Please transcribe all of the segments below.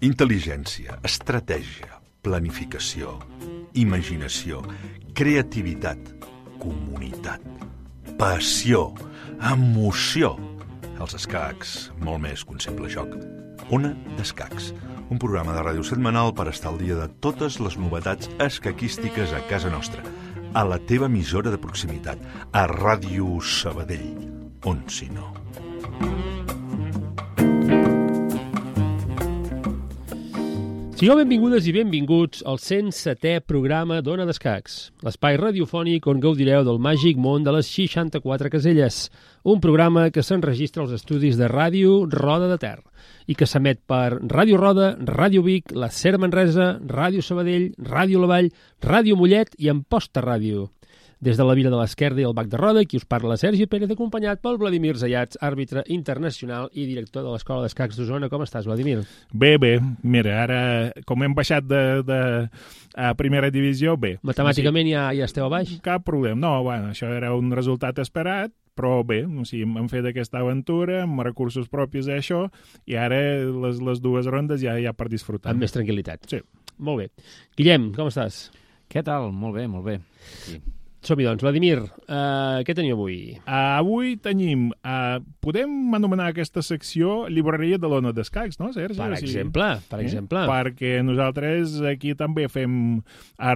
Intel·ligència, estratègia, planificació, imaginació, creativitat, comunitat, passió, emoció. Els escacs, molt més que un simple joc. Ona d'Escacs, un programa de ràdio setmanal per estar al dia de totes les novetats escaquístiques a casa nostra, a la teva emissora de proximitat, a Ràdio Sabadell, on si no. Sigueu benvingudes i benvinguts al 107è programa d'Ona d'Escacs, l'espai radiofònic on gaudireu del màgic món de les 64 caselles, un programa que s'enregistra als estudis de Ràdio Roda de Ter i que s'emet per Ràdio Roda, Ràdio Vic, la SER Manresa, Ràdio Sabadell, Ràdio La Vall, Ràdio Mollet i Amposta Ràdio. Des de la Vila de l'Esquerda i el Bac de Roda, qui us parla Sergi Pérez, acompanyat pel Vladimir Zayats, àrbitre internacional i director de l'Escola d'Escacs d'Osona. Com estàs, Vladimir? Bé. Mira, ara, com hem baixat a primera divisió, bé. Matemàticament ja esteu a baix? Cap problema. No, bueno, això era un resultat esperat, però bé, o sigui, hem fet aquesta aventura amb recursos propis a això i ara les dues rondes ja per disfrutar. Amb més tranquil·litat. Sí. Molt bé. Guillem, com estàs? Què tal? Molt bé. Sí. Som-hi, doncs. Vladimir, què tenim avui? Avui tenim... podem anomenar aquesta secció llibreria de l'Ona d'Escacs, no, Sergi? Per exemple. Perquè nosaltres aquí també fem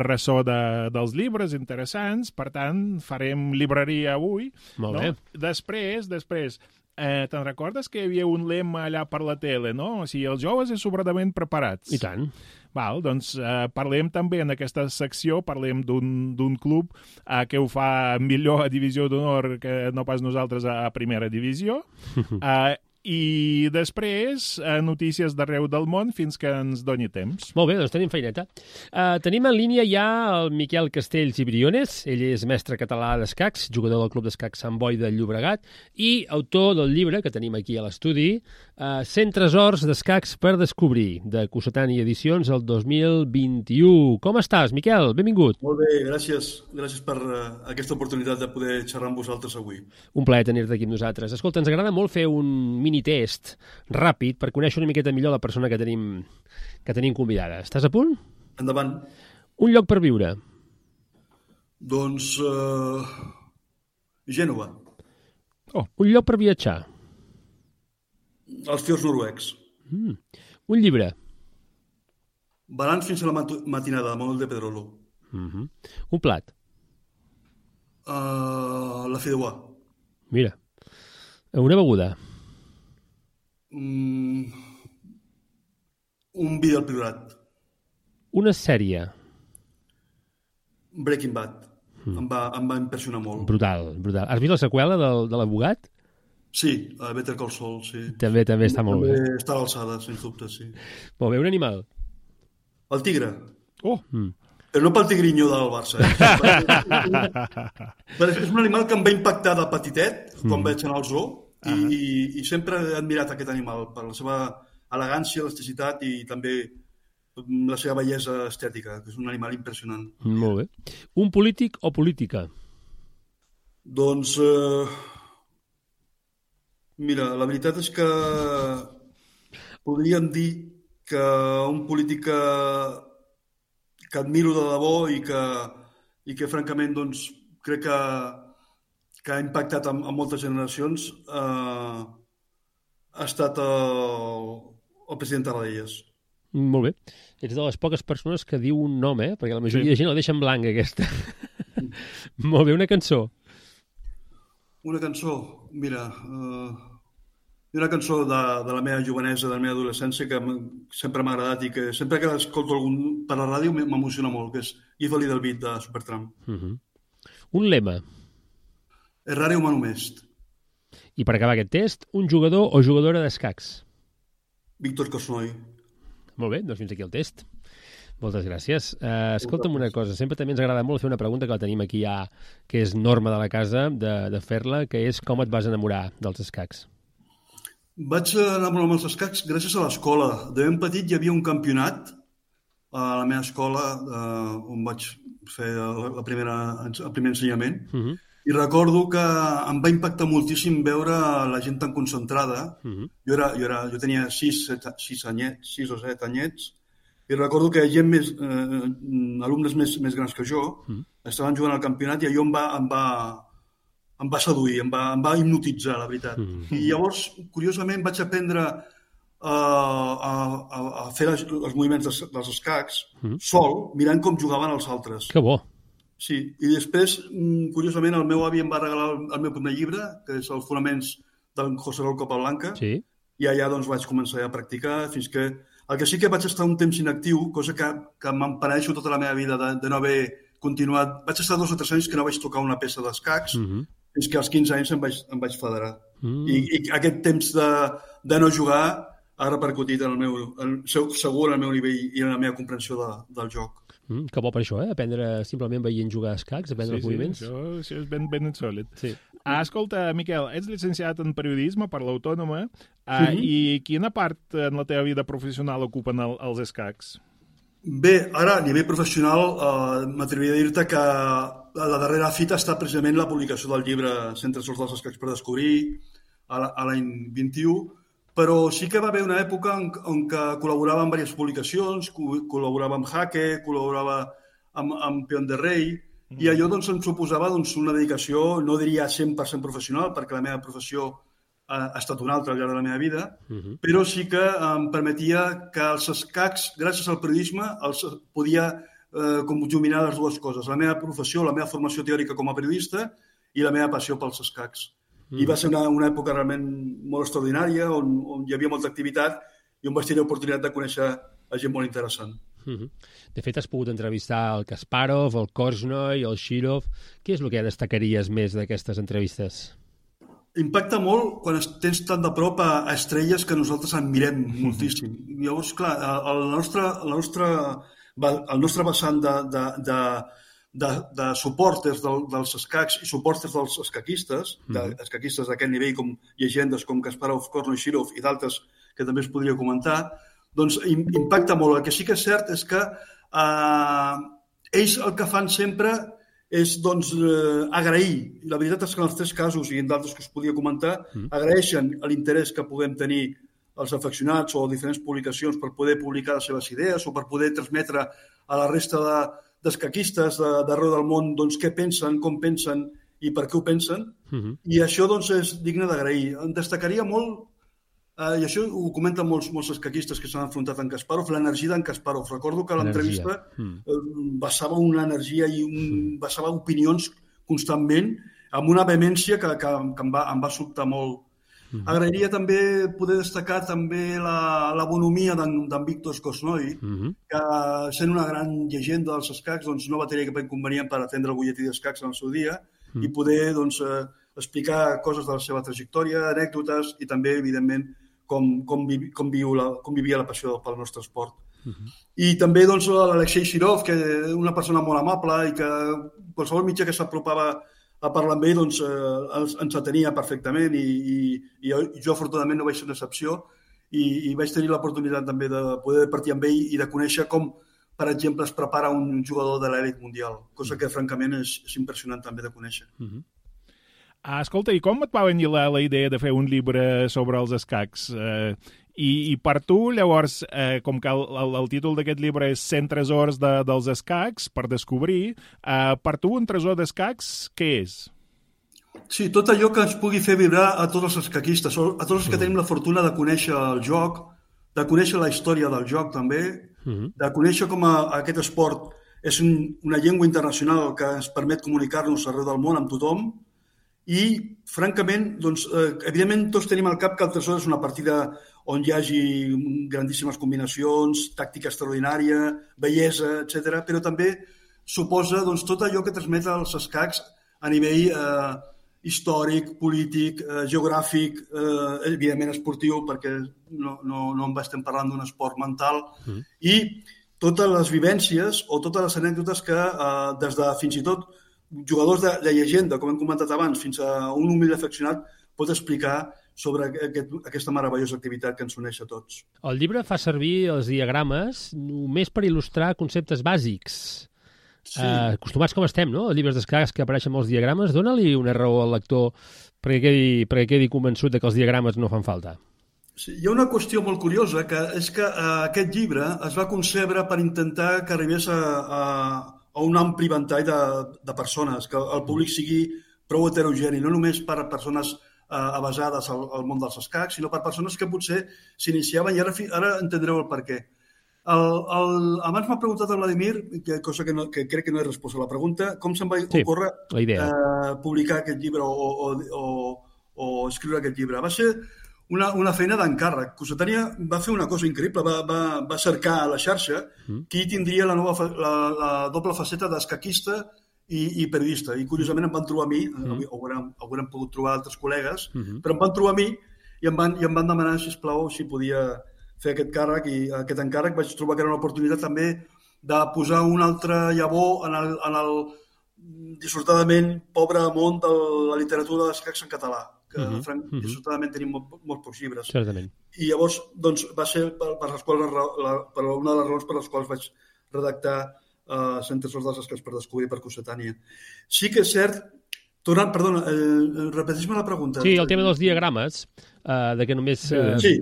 ressò dels llibres interessants, per tant, farem llibreria avui. Molt bé. Després, te'n recordes que hi havia un lema allà per la tele, no? O sigui, els joves i sobradament preparats. I tant. Val, doncs parlem també en aquesta secció, parlem d'un club que ho fa millor a divisió d'honor que no pas nosaltres a primera divisió. I després notícies d'arreu del món fins que ens doni temps. Molt bé, doncs tenim feineta. Tenim en línia ja el Miquel Castells i Briones. Ell és mestre català d'escacs, jugador del Club d'Escacs Sant Boi de Llobregat i autor del llibre que tenim aquí a l'estudi, 100 tresors d'escacs per descobrir, de Cossetani Edicions el 2021. Com estàs, Miquel? Benvingut. Molt bé, gràcies. Gràcies per aquesta oportunitat de poder xerrar amb vosaltres avui. Un plaer tenir-te aquí amb nosaltres. Escolta, ens agrada molt fer un mini-test ràpid per conèixer una miqueta millor la persona que tenim convidada. Estàs a punt? Endavant. Un lloc per viure. Doncs... Gènova. Un lloc per viatjar. Els fiords noruecs. Un llibre. Balanç fins a la matinada, de Manuel de Pedrolo. Un plat. La fideuà. Mira. Una beguda. Un vi del Priorat. Una sèrie. Breaking Bad. Em va impressionar molt. Brutal. Has vist la seqüela de l'abogat? Sí, Better Call Saul, sí. També està molt bé. També està a l'alçada, sens dubte, sí. Molt bé, un animal. El tigre. Però no pel tigrinyo del Barça. És un animal que em va impactar de petitet, quan vaig anar al zoo, i sempre he admirat aquest animal per la seva elegància, elasticitat i també la seva bellesa estètica, que és un animal impressionant. Molt bé. Un polític o política? Doncs... Mira, la veritat és que podríem dir que un polític que admiro de debò i que francament doncs, crec que ha impactat en moltes generacions ha estat el president Tarradellas. Molt bé. Ets de les poques persones que diu un nom, perquè la majoria de gent la deixa en blanc, aquesta. Molt bé, una cançó. Una cançó, mira, una cançó de la meva jovenesa, de la meva adolescència, que sempre m'ha agradat i que sempre que escolto algun per la ràdio m'emociona molt, que és Give a Little Bit de Supertramp. Un lema. Errare humanum est. I per acabar aquest test, un jugador o jugadora d'escacs. Víctor Korchnoi. Molt bé, doncs fins aquí el test. Moltes gràcies. Escolta'm una cosa, sempre també ens agrada molt fer una pregunta que la tenim aquí ja, que és norma de la casa, de fer-la, que és com et vas enamorar dels escacs? Vaig enamorar amb els escacs gràcies a l'escola. De ben petit hi havia un campionat a la meva escola on vaig fer el primer ensenyament I recordo que em va impactar moltíssim veure la gent tan concentrada. Jo tenia 6 o 7 anyets, i recordo que gent alumnes més grans que jo estaven jugant al campionat i allò em va seduir, em va hipnotitzar, la veritat. I llavors, curiosament, vaig aprendre a fer els moviments dels escacs sol, mirant com jugaven els altres. Que bo! Sí, i després, curiosament, el meu avi em va regalar el meu primer llibre, que és Els fonaments del José Raúl Capablanca, i allà doncs vaig començar a practicar fins que... El que sí que vaig estar un temps inactiu, cosa que m'empenedeixo tota la meva vida de no haver continuat. Vaig estar 2 o 3 anys que no vaig tocar una peça d'escacs, fins que als 15 anys em vaig federar. I aquest temps de no jugar ha repercutit segur en el meu nivell i en la meva comprensió del joc. Que bo per això, aprendre simplement veient jugar a escacs, aprendre els moviments. Sí, això és ben insòlit. Sí. Escolta, Miquel, ets llicenciat en periodisme per l'Autònoma i quina part en la teva vida professional ocupen els escacs? Bé, ara, a nivell professional, m'atreviria a dir-te que la darrera fita ha estat precisament la publicació del llibre 100 tresors dels escacs per descobrir a l'any 21, però sí que va haver una època en què col·laborava en diverses publicacions, col·laborava amb Jaque, col·laborava amb Peón de Rei, i allò doncs, em suposava una dedicació, no diria 100% professional, perquè la meva professió ha estat una altra al llarg de la meva vida, però sí que em permetia que els escacs, gràcies al periodisme, podia conjuminar les dues coses, la meva professió, la meva formació teòrica com a periodista i la meva passió pels escacs. I va ser una època realment molt extraordinària, on hi havia molta activitat i on vaig tenir l'oportunitat de conèixer gent molt interessant. De fet, has pogut entrevistar el Kasparov, el Korchnoi, el Shirov. Què és el que destacaries més d'aquestes entrevistes? Impacta molt quan tens tan de prop a estrelles que nosaltres admirem moltíssim. Llavors, clar, el nostre vessant de suporters dels escacs i suporters dels escaquistes, escaquistes d'aquest nivell com llegendes com Kasparov, Korchnoi, Shirov i d'altres que també es podria comentar, doncs impacta molt. El que sí que és cert és que ells el que fan sempre és agrair. I la veritat és que en els 3 casos i en d'altres que us podia comentar, agraeixen l'interès que puguem tenir els afeccionats o diferents publicacions per poder publicar les seves idees o per poder transmetre a la resta d'escaquistes d'arreu del món què pensen, com pensen i per què ho pensen. I això és digne d'agrair. En destacaria molt, i això ho comenten molts escaquistes que s'han enfrontat amb Kasparov, l'energia d'en Kasparov. Recordo que l'entrevista vessava una energia i vessava opinions constantment amb una vehemència que em va sobtar molt. Agrairia també poder destacar també la bonomia d'en Viktor Korchnoi, que sent una gran llegenda dels escacs no va tenir cap inconvenient per atendre el butlletí d'escacs en el seu dia i poder explicar coses de la seva trajectòria, anècdotes i també, evidentment, com vivia la passió pel nostre esport. I també l'Alexei Shirov, que és una persona molt amable i que qualsevol mitjà que s'apropava a parlar amb ell ens atenia perfectament i jo afortunadament no vaig ser una excepció i vaig tenir l'oportunitat també de poder partir amb ell i de conèixer com, per exemple, es prepara un jugador de l'elit mundial, cosa que francament és impressionant també de conèixer. Escolta, i com et va venir la idea de fer un llibre sobre els escacs? I per tu, llavors, com que el títol d'aquest llibre és 100 tresors dels escacs per descobrir, per tu un tresor d'escacs què és? Sí, tot allò que ens pugui fer vibrar a tots els escaquistes, a tots els que tenim la fortuna de conèixer el joc, de conèixer la història del joc també, de conèixer com aquest esport és una llengua internacional que ens permet comunicar-nos arreu del món amb tothom. I, francament, evidentment tots tenim al cap que el tresor és una partida on hi hagi grandíssimes combinacions, tàctica extraordinària, bellesa, etc. Però també suposa tot allò que transmet els escacs a nivell històric, polític, geogràfic, evidentment esportiu, perquè no estem parlant d'un esport mental, i totes les vivències o totes les anècdotes que des de fins i tot jugadors de llegenda, com hem comentat abans, fins a un humil afeccionat, pot explicar sobre aquesta meravellosa activitat que ens uneix a tots. El llibre fa servir els diagrames només per il·lustrar conceptes bàsics. Sí. Acostumats com estem, no?, a llibres d'escacs que apareixen molts diagrames, dona-li una raó al lector perquè quedi convençut de que els diagrames no fan falta. Sí, hi ha una qüestió molt curiosa, que és que aquest llibre es va concebre per intentar que arribés a un ampli ventall de persones, que el públic sigui prou heterogeni, no només per a persones avasades al món dels escacs, sinó per persones que potser s'iniciaven, i ara entendreu el per què. Abans m'ha preguntat el Vladimir, cosa que crec que no he respost a la pregunta, com se'm va ocórrer publicar aquest llibre o escriure aquest llibre. Va ser una feina d'encàrrec. Cossetània va fer una cosa increïble, va cercar a la xarxa qui tindria la doble faceta d'escaquista i periodista. I curiosament em van trobar a mi, haurem pogut trobar altres col·legues, però em van trobar a mi i em van demanar, sisplau, si podia fer aquest càrrec, i aquest encàrrec vaig trobar que era una oportunitat també de posar un altre llavor en el dissortadament pobre món de la literatura d'escacs en català, que dissortadament tenim molts pocs llibres. Certament. I llavors doncs, va ser per una de les raons per les quals vaig redactar Cent tresors dels escacs per descobrir per Cossetània. Sí que és cert. Perdona, repeteix-me la pregunta. Sí, el tema dels diagrames, de que només... Sí,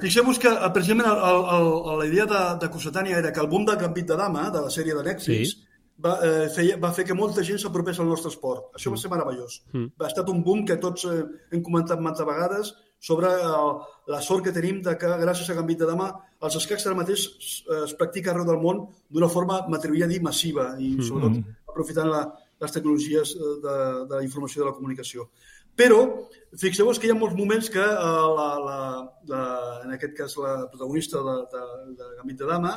fixeu-vos que precisament la idea de Cossetània era que el boom del Gambit de Dama, de la sèrie de Netflix, va fer que molta gent s'apropés al nostre esport. Això va ser meravellós. Ha estat un boom que tots hem comentat moltes vegades sobre la sort que tenim de que gràcies a Gambit de Dama els escacs ara mateix es practica arreu del món d'una forma, m'atreviria a dir, massiva, i sobretot aprofitant les tecnologies de la informació i de la comunicació. Però fixeu-vos que hi ha molts moments que en aquest cas la protagonista de Gambit de Dama,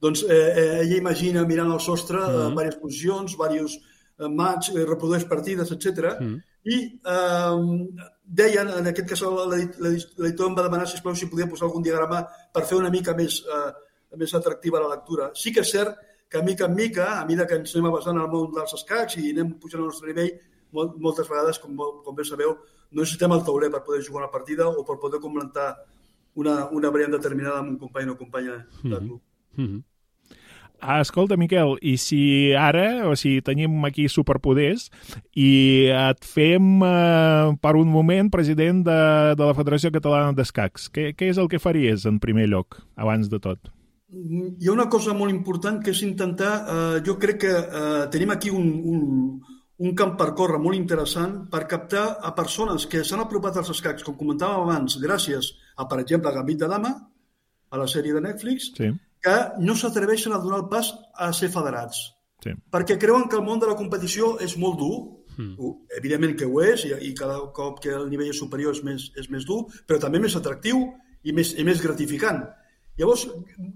doncs ella imagina mirant al sostre diverses posicions, diversos match, reprodueix partides, etc. I deien, en aquest cas l'editor em va demanar si podia posar algun diagrama per fer una mica més atractiva la lectura. Sí que és cert que mica en mica, a mesura que ens anem avançant al món dels escacs i anem pujant al nostre nivell, moltes vegades, com bé sabeu, no necessitem el tauler per poder jugar una partida o per poder comentar una variant determinada amb un company o companya de club. Escolta, Miquel, i si ara, tenim aquí superpoders i et fem per un moment president de la Federació Catalana d'Escacs, què és el que faries en primer lloc, abans de tot? Hi ha una cosa molt important que és intentar, jo crec que tenim aquí un camp per córrer molt interessant per captar a persones que s'han apropat als escacs, com comentàvem abans, gràcies a, per exemple, Gambit de Dama, a la sèrie de Netflix, que no s'atreveixen a donar el pas a ser federats. Perquè creuen que el món de la competició és molt dur. Evidentment que ho és, i cada cop que el nivell és superior és més dur, però també més atractiu i més gratificant. Llavors,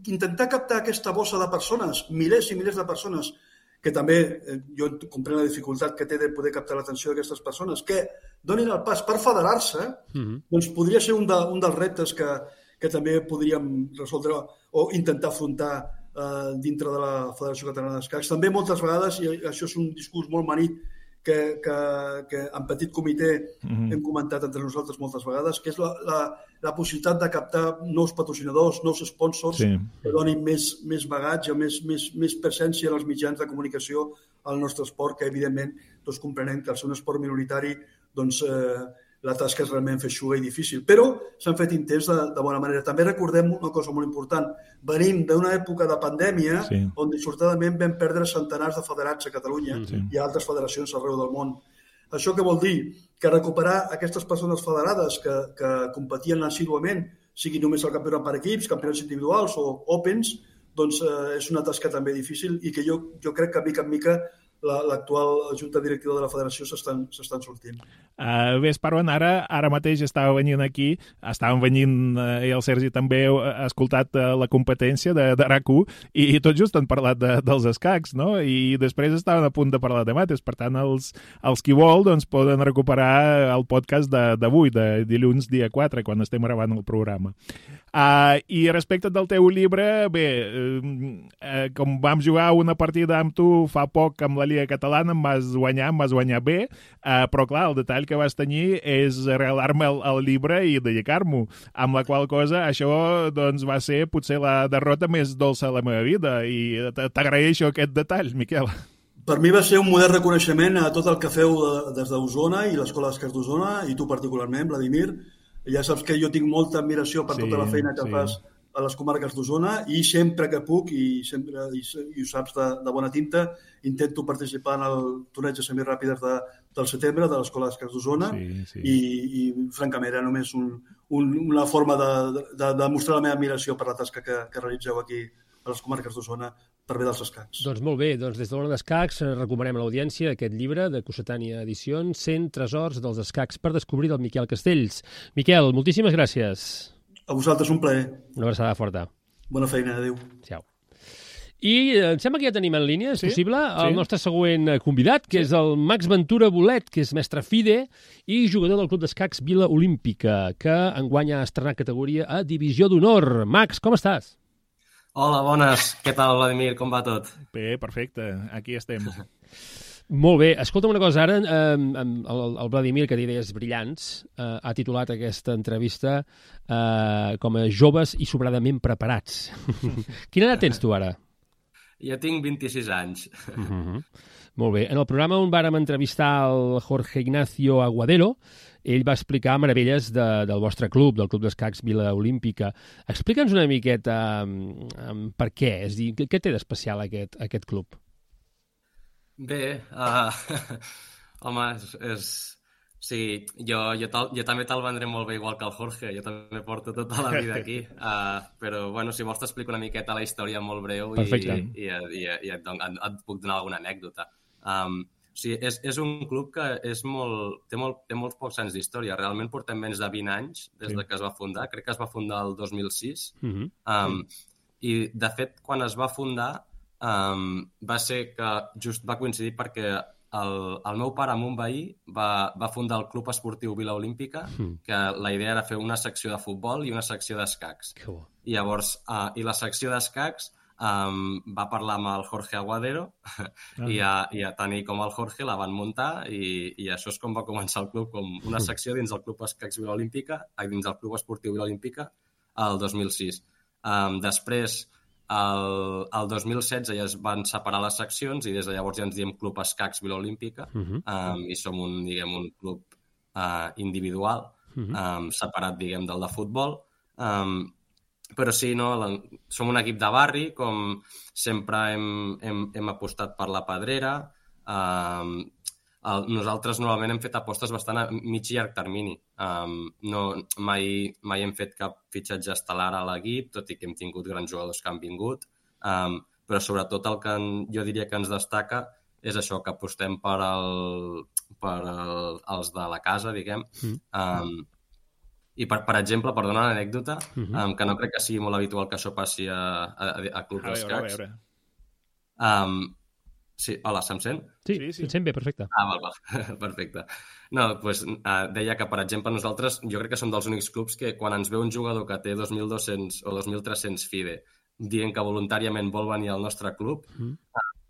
intentar captar aquesta bossa de persones, milers i milers de persones, que també jo comprenc la dificultat que té de poder captar l'atenció d'aquestes persones, que donin el pas per federar-se, doncs podria ser un dels reptes que també podríem resoldre o intentar afrontar dintre de la Federació Catalana d'Escacs. També moltes vegades, i això és un discurs molt manit, que en petit comitè hem comentat entre nosaltres moltes vegades, que és la possibilitat de captar nous patrocinadors, nous sponsors que donin més bagatge, més presència en els mitjans de comunicació al nostre esport, que evidentment tots comprenem que al ser un esport minoritari doncs la tasca és realment feixuga i difícil, però s'han fet intents de bona manera. També recordem una cosa molt important. Venim d'una època de pandèmia on dissortadament vam perdre centenars de federats a Catalunya i a altres federacions arreu del món. Això què vol dir? Que recuperar aquestes persones federades que competien assíduament, sigui només el campionat per equips, campionats individuals o Opens, doncs és una tasca també difícil i que jo crec que mica en mica l'actual junta directiva de la federació s'estan sortint. Bé, Esparvan, ara mateix estàvem venint, i el Sergi també ha escoltat la competència de RAC1 i tot just han parlat dels escacs, no? I després estaven a punt de parlar de mates, per tant els qui vol doncs poden recuperar el podcast d'avui, de dilluns dia 4, quan estem gravant el programa. I respecte del teu llibre, bé, com vam jugar una partida amb tu fa poc amb la Lliga Catalana, em vas guanyar bé, però clar, el detall que vas tenir és regalar-me el llibre i dedicar-m'ho, amb la qual cosa això doncs, va ser potser la derrota més dolça de la meva vida, i t'agraeixo aquest detall, Miquel. Per mi va ser un modern reconeixement a tot el que feu des d'Osona i l'Escola d'Escacs d'Osona, i tu particularment, Vladimir. Ja saps que jo tinc molta admiració per tota la feina que fas a les comarques d'Osona, i sempre que puc, i ho saps de bona tinta, intento participar en el torneig de semiràpides del setembre de l'Escola d'Escacs d'Osona, i francament era només una forma de mostrar la meva admiració per la tasca que realitzeu aquí a les comarques d'Osona per bé dels escacs. Doncs molt bé, doncs des de l'Ona d'Escacs recomanem a l'audiència aquest llibre de Cossetània Edicions, 100 tresors dels escacs per descobrir, del Miquel Castells. Miquel, moltíssimes gràcies. A vosaltres un plaer. Una abraçada forta. Bona feina, adéu. Ciao. I em sembla que ja tenim en línia, és possible, el nostre següent convidat, que és el Max Ventura Bolet, que és mestre FIDE i jugador del Club d'Escacs Vila Olímpica, que enguany ha estrenat categoria a Divisió d'Honor. Max, com estàs? Hola, bones. Què tal, Vladimir? Com va tot? Bé, perfecte. Aquí estem. Molt bé. Escolta'm una cosa, ara el Vladimir, que té idees brillants, ha titulat aquesta entrevista com a joves i sobradament preparats. Quina edat tens tu ara? Jo tinc 26 anys. Molt bé. En el programa on vàrem entrevistar el Jorge Ignacio Aguadero, ell va explicar meravelles del vostre club, del Club d'Escacs Vila Olímpica. Explica'ns una miqueta per què, és a dir, què té d'especial aquest club? Bé, home, sí, jo també te'l vendré molt bé igual que el Jorge, jo també porto tota la vida aquí, però bueno, si vols t'explico una miqueta la història molt breu i et puc donar alguna anècdota. Sí, és un club que té molts pocs anys d'història. Realment portem menys de 20 anys des que es va fundar. Crec que es va fundar el 2006. I, de fet, quan es va fundar va ser que just va coincidir perquè el meu pare amb un veí va fundar el Club Esportiu Vila Olímpica, que la idea era fer una secció de futbol i una secció d'escacs. I llavors, i la secció d'escacs va parlar amb el Jorge Aguadero i a tant ell com el Jorge la van muntar i això és com va començar el club, com una secció dins del Club Escacs Vila Olímpica, dins del Club Esportiu Vila Olímpica, el 2006. Després, el 2016 ja es van separar les seccions i des de llavors ja ens diem Club Escacs Vila Olímpica i som un club individual separat, del de futbol. Però sí, som un equip de barri, com sempre hem apostat per la pedrera. Nosaltres normalment hem fet apostes bastant a mig i llarg termini. Mai hem fet cap fitxatge estel·lar a l'equip, tot i que hem tingut grans jugadors que han vingut. Però sobretot el que jo diria que ens destaca és això, que apostem per els de la casa, diguem. I, per exemple, per donar una anècdota, que no crec que sigui molt habitual que això passi a clubs d'escacs. Sí, hola, se'm sent? Sí, et sent bé, perfecte. Val, perfecte. No, doncs deia que, per exemple, nosaltres, jo crec que som dels únics clubs que quan ens ve un jugador que té 2.200 o 2.300 FIDE dient que voluntàriament vol venir al nostre club,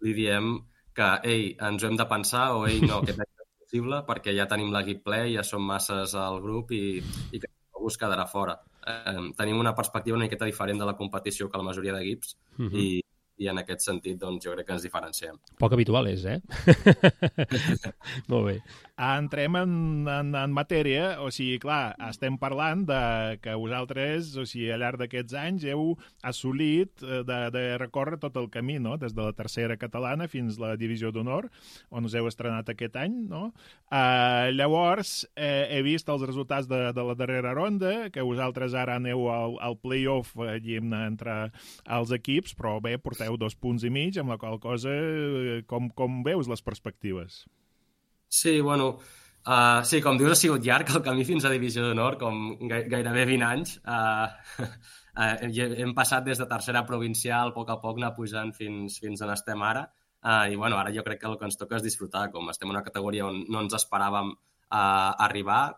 li diem que, ei, ens ho hem de pensar, o ei, no, que és possible, perquè ja tenim l'equip ple, ja som masses al grup i que algú es quedarà fora. Tenim una perspectiva una miqueta diferent de la competició que la majoria d'equips i en aquest sentit doncs, jo crec que ens diferenciem. Poc habitual és, Molt bé. Entrem en matèria, o sigui, clar, estem parlant de que vosaltres, o sigui, al llarg d'aquests anys heu assolit de recórrer tot el camí, no?, des de la tercera catalana fins a la divisió d'honor, on us heu estrenat aquest any, no? Llavors, he vist els resultats de la darrera ronda, que vosaltres ara aneu al play-off entre els equips, però bé, porteu 2 punts i mig, amb la qual cosa, com veus les perspectives? Sí, bueno, sí, com dius, ha sigut llarg el camí fins a Divisió d'Honor, com gairebé 20 anys. Hem passat des de tercera provincial, a poc anar pujant fins on estem ara. I bueno, ara jo crec que el que ens toca és disfrutar, com estem en una categoria on no ens esperàvem arribar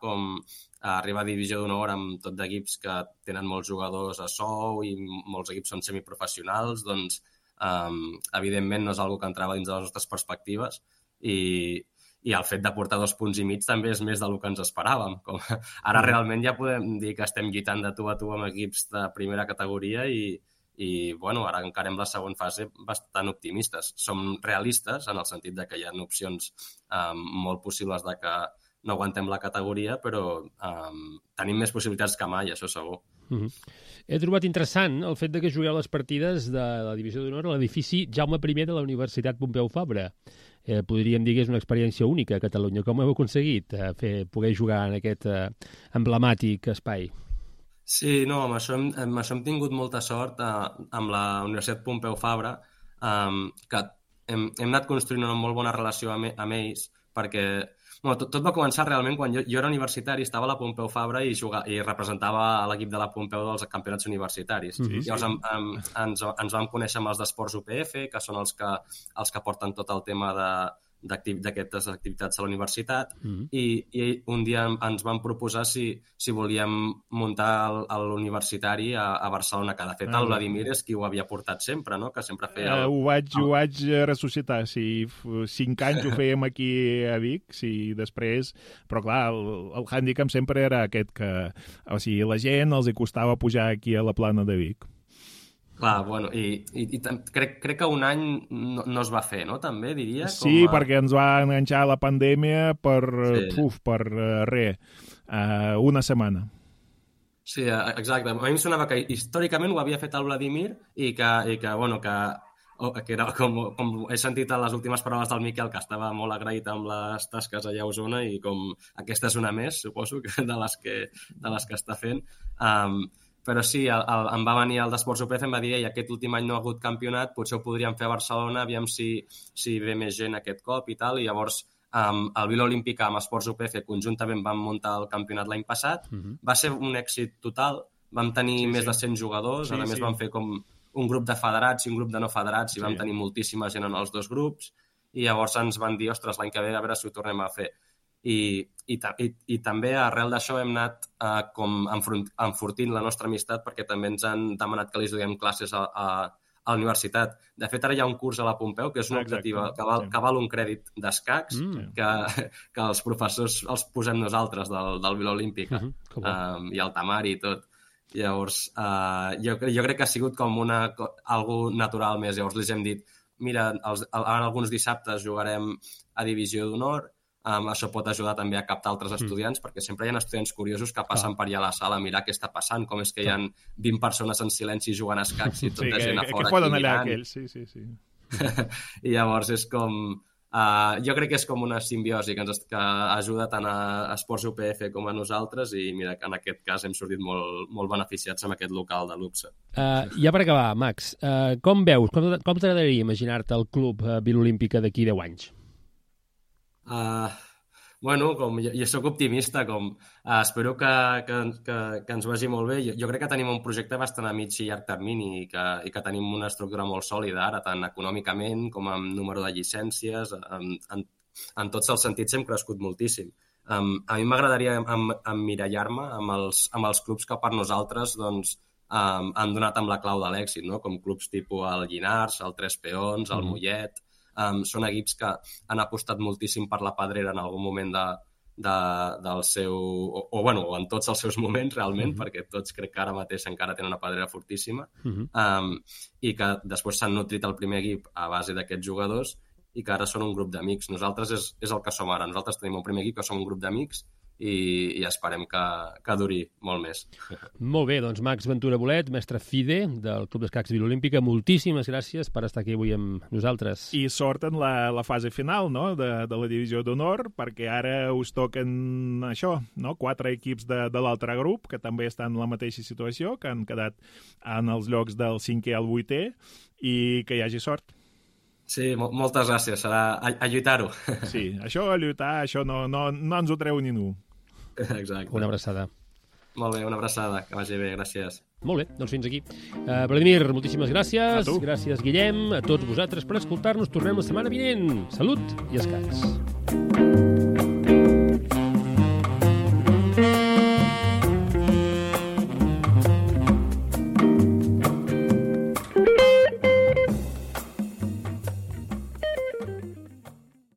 a divisió d'honor amb tot d'equips que tenen molts jugadors a sou i molts equips són semiprofessionals, doncs evidentment no és una que entrava dins de les nostres perspectives i el fet de portar 2 punts i mig també és més del que ens esperàvem. Ara realment ja podem dir que estem lluitant de tu a tu amb equips de primera categoria i bueno, ara encarem la següent fase bastant optimistes. Som realistes en el sentit de que hi ha opcions molt possibles de que no aguantem la categoria, però tenim més possibilitats que mai, això segur. He trobat interessant el fet de que jugueu les partides de la Divisió d'Honor a l'edifici Jaume I de la Universitat Pompeu Fabra. Podríem dir que és una experiència única a Catalunya. Com heu aconseguit poder jugar en aquest emblemàtic espai? Sí, no, amb això hem tingut molta sort amb la Universitat Pompeu Fabra, que hem anat construint una molt bona relació amb ells, perquè tot va començar realment quan jo era universitari, estava a la Pompeu Fabra i representava l'equip de la Pompeu dels campionats universitaris. Llavors ens vam conèixer amb els d'Esports UPF, que són els que porten tot el tema d'aquestes activitats a la universitat, i un dia ens van proposar si volíem muntar l'universitari a Barcelona, que de fet el Vladimir és qui ho havia portat sempre, no? Que sempre feia... Ho vaig ressuscitar, si 5 anys ho fèiem aquí a Vic, si després... Però clar, el hàndicap sempre era aquest, que o sigui, la gent els hi costava pujar aquí a la plana de Vic. Clar, bueno, i crec que un any no es va fer, no? També, diria. Sí, perquè ens va enganxar la pandèmia per una setmana. Sí, exacte. A mi em sonava que històricament ho havia fet el Vladimir i que era com he sentit a les últimes paraules del Miquel, que estava molt agraït amb les tasques allà a Osona i com aquesta és una més, suposo, de les que està fent. Però sí, em va venir el d'Esports UPF, em va dir aquest últim any no ha hagut campionat, potser ho podríem fer a Barcelona, aviam si ve més gent aquest cop i tal, i llavors el Vila Olímpica amb Esports UPF conjuntament vam muntar el campionat l'any passat, va ser un èxit total, vam tenir més de 100 jugadors, a més vam fer com un grup de federats i un grup de no federats i vam tenir moltíssima gent en els 2 grups, i llavors ens van dir, ostres, l'any que ve a veure si ho tornem a fer. I també arrel d'això hem anat com enfortint la nostra amistat, perquè també ens han demanat que els donem classes a la universitat. De fet, ara hi ha un curs a la Pompeu que és una optativa que val un crèdit d'escacs, que els professors els posem nosaltres del Vila Olímpica, i el Tamari i tot. Llavors, jo crec que ha sigut com algo natural més. Llavors els hem dit, mira, ara alguns dissabtes jugarem a Divisió d'Honor. Això pot ajudar també a captar altres estudiants, perquè sempre hi ha estudiants curiosos que passen per allà a la sala a mirar què està passant, com és que hi ha 20 persones en silenci jugant a escacs i tota gent a fora aquí mirant. Sí. I llavors és com... jo crec que és com una simbiosi que ajuda tant a Esports UPF com a nosaltres, i mira que en aquest cas hem sortit molt beneficiats amb aquest local de luxe. Ja per acabar, Max, com veus, com t'agradaria imaginar-te el club Vila Olímpica d'aquí 10 anys? Bueno, com jo soc optimista, espero que ens vagi molt bé. Jo crec que tenim un projecte bastant a mig i llarg termini i que tenim una estructura molt sòlida ara, tant econòmicament com amb número de llicències. En tots els sentits hem crescut moltíssim. A mi m'agradaria emmirallar-me amb els clubs que per nosaltres han donat amb la clau de l'èxit, no? Com clubs tipus el Llinars, el Tres Peons, el Mollet. Són equips que han apostat moltíssim per la Pedrera en algun moment del seu... o en tots els seus moments, realment, perquè tots crec que ara mateix encara tenen una Pedrera fortíssima, i que després s'han nutrit el primer equip a base d'aquests jugadors i que ara són un grup d'amics. Nosaltres és el que som ara. Nosaltres tenim un primer equip que som un grup d'amics i esperem que duri molt més. Molt bé, doncs Max Ventura Bolet, mestre FIDE del Club d'Escacs Vila Olímpica, moltíssimes gràcies per estar aquí avui amb nosaltres. I sort en la fase final, no?, de la Divisió d'Honor, perquè ara us toquen això, no?, 4 equips de l'altre grup, que també estan en la mateixa situació, que han quedat en els llocs del 5è al 8è, i que hi hagi sort. Sí, moltes gràcies. Serà a lluitar-ho. Sí, això a lluitar, això no ens ho treu ningú. Exacte. Una abraçada. Molt bé, una abraçada. Que vagi bé, gràcies. Molt bé, doncs fins aquí. Vladimir, moltíssimes gràcies. Gràcies, Guillem. A tots vosaltres per escoltar-nos. Tornem la setmana vinent. Salut i escacs.